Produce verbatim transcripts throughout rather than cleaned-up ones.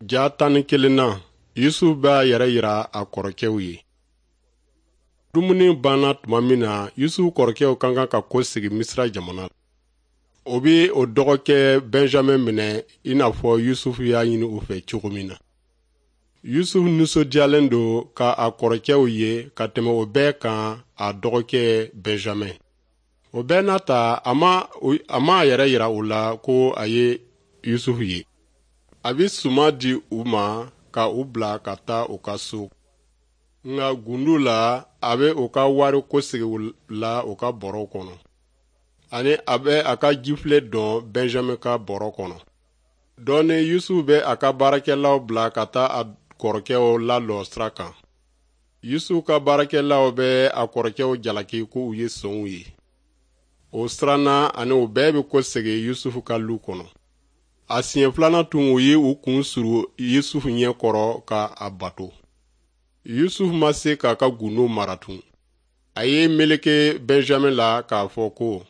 Ja tan ni kelen na, Yusufu b'a yɛrɛ yira a kɔrɔkɛw ye. Dumuni banna tuma min na, Yusufu kɔrɔkɛw ka kan ka kɔsegin Misira jamana. O bɛ o dɔgɔkɛ Benjamin minɛ i n'a fɔ Yusufu y'a ɲini u fɛ cogo min na. Yusufu nisɔndiyalen don ka a kɔrɔkɛw ye ka tɛmɛ o bɛɛ kan a dɔgɔkɛ Benjamin. O bɛɛ n'a ta, a ma a ma a yɛrɛ yira u la ko a ye Yusufu ye. A bɛ suman di u ma ka u bila ka taa u ka so. Nka gundo la, a bɛ u ka wari kosegin u la u ka bɔrɔw kɔnɔ. Ani a bɛ a ka jifilen dɔn Benjamin ka bɔrɔ kɔnɔ. Dɔɔnin Yusufu bɛ a ka baarakɛlaw bila ka taa a kɔrɔkɛw lalɔ sira kan. Yusufu ka baarakɛlaw bɛ a kɔrɔkɛw jalaki ko u ye sonw ye. O siranna ani u bɛɛ bɛ kɔsegin Yusufu ka lu kɔnɔ. A siɲɛ filanan tun u ye u kun suru Yusufu ɲɛ kɔrɔ ka a bato. Yusufu ma se k'a ka gundo mara tun. A ye meleke Benjamin la k'a fɔ ko,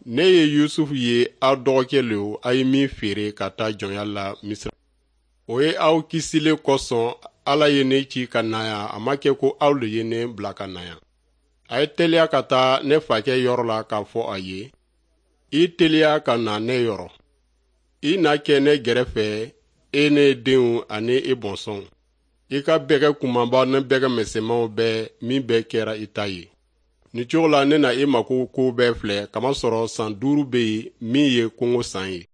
ne ye Yusufu ye aw dɔgɔkɛ lo a ye min feere ka taa jɔnya la Misira. O ye aw kisilen kosɔn Ala ye ne ci ka na yan, a ma kɛ ko aw le ye ne bila ka na yan. A ye teliya ka taa ne fakɛ yɔrɔ la k'a fɔ a ye, i teliya ka na ne yɔrɔ. I na kɛ ne gɛrɛfɛ, e ne denw ani i bɔnsɔnw. I ka bɛgɛ kunbaba ni bɛgɛ misɛnmanw bɛɛ min bɛɛ kɛra i ta ye. Nin cogo la ne na i mako ko bɛɛ filɛ kamasɔrɔ san duuru bɛ yen min ye kɔngɔ san ye.